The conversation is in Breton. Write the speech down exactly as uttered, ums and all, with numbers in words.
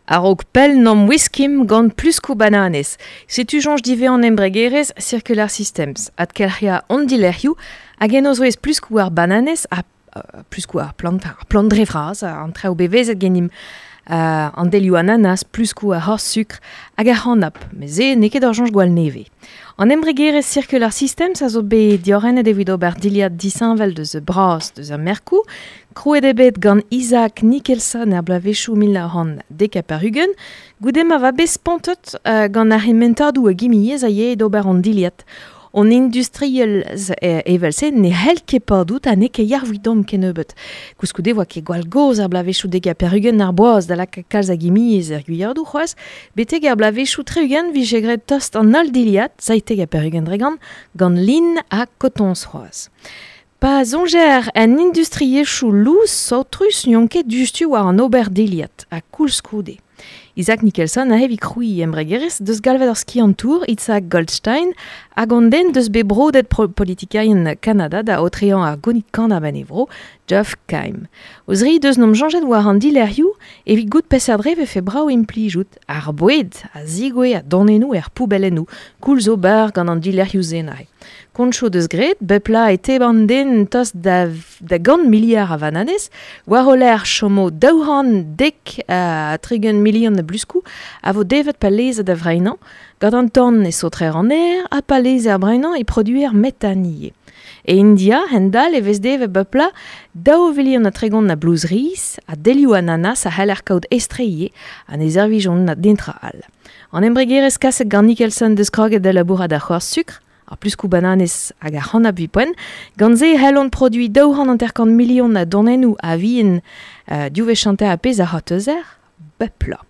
A-raok pell n'am wiskim gant pluskou bananez. Setu soñj divezan an embregerezh Circular Systems. Adkelc'hiañ hon dilerc'hioù hag en o zouez pluskou ar bananez ha uh, pluskou ar plant, ar plant dre vras, an traoù bevezet genimp. Uh, an delioù ananas, pluskou ar c'horz-sukr hag ar c'hanab, met se n'eo ket ur soñj gwall nevez. An embregerezh Circular Systems a zo bet diorrenet evit ober dilhad disheñvel deus bras deus ar merkoù, krouet eo bet gant Isaac Nicholson er bloavezhioù mil nav c'hant dek ha pevar-ugent, goude ma va bet spontet uh, gant ar c'hementadoù a gimiezh a yae d'ober an dilhad. On industriel evel-se ne c'hell ket padout ha n'eo ket yac'h kennebeut. Koulskoude oa ket gwall gozh ar bloavezhioù dek ha pevar-ugent ar boaz da lakaat kalz a gimiezh er gwiadoù c'hoazh, betek ar bloavezhioù tri-ugent vije graet tost an holl dilhad, seitek ha pevar-ugent dre gant, gant lin ha kotoñs c'hoazh. Pa soñjer en industriezhioù lous saotrus n'on ket diouzhtu war an ober dilhad, ha koulskoude. Isaac Nicholson a evit krouiñ embregerezh deus galvet ar skiantour Isaac Goldstein hag an den deus bet brodet politikerien Kanada da aotreañ ar gonid kanab en e vro, Geoff Keim. O zri deus n'om soñjet war an dilerc'hioù evit goût peseurt dre vefe brav implijout ar boued a zigouez a donennoù er poubellennoù, koulz ober gant an dilerc'hioù-se neuze. Koncho deus graet, bep pla e teban den tost da, da gant miliard a vananez, war o lec'h chomo daou c'hant dek ha tregont milion a bluskou a vo devet pa lezet da vreinañ, gant an tan e saotrer an aer ha pa leze ar breinañ e produer metan ivez. E India, hend-all, e vez devet bep pla daou vilion ha tregont a blouz riz, ha delioù ananas a c'haller kaout estre ivez, ha ne servijont na dintra all. An embregerezh kaset gant Nicholson deus kroget da labourat ar c'horz-sukr, ar pluskou bananez hag ar c'hanab poent, gant se c'hellont produiñ daou c'hant hanter-kant milion a donennoù a vien uh, div wech hanter a pezh a c'hortozer, bep pla.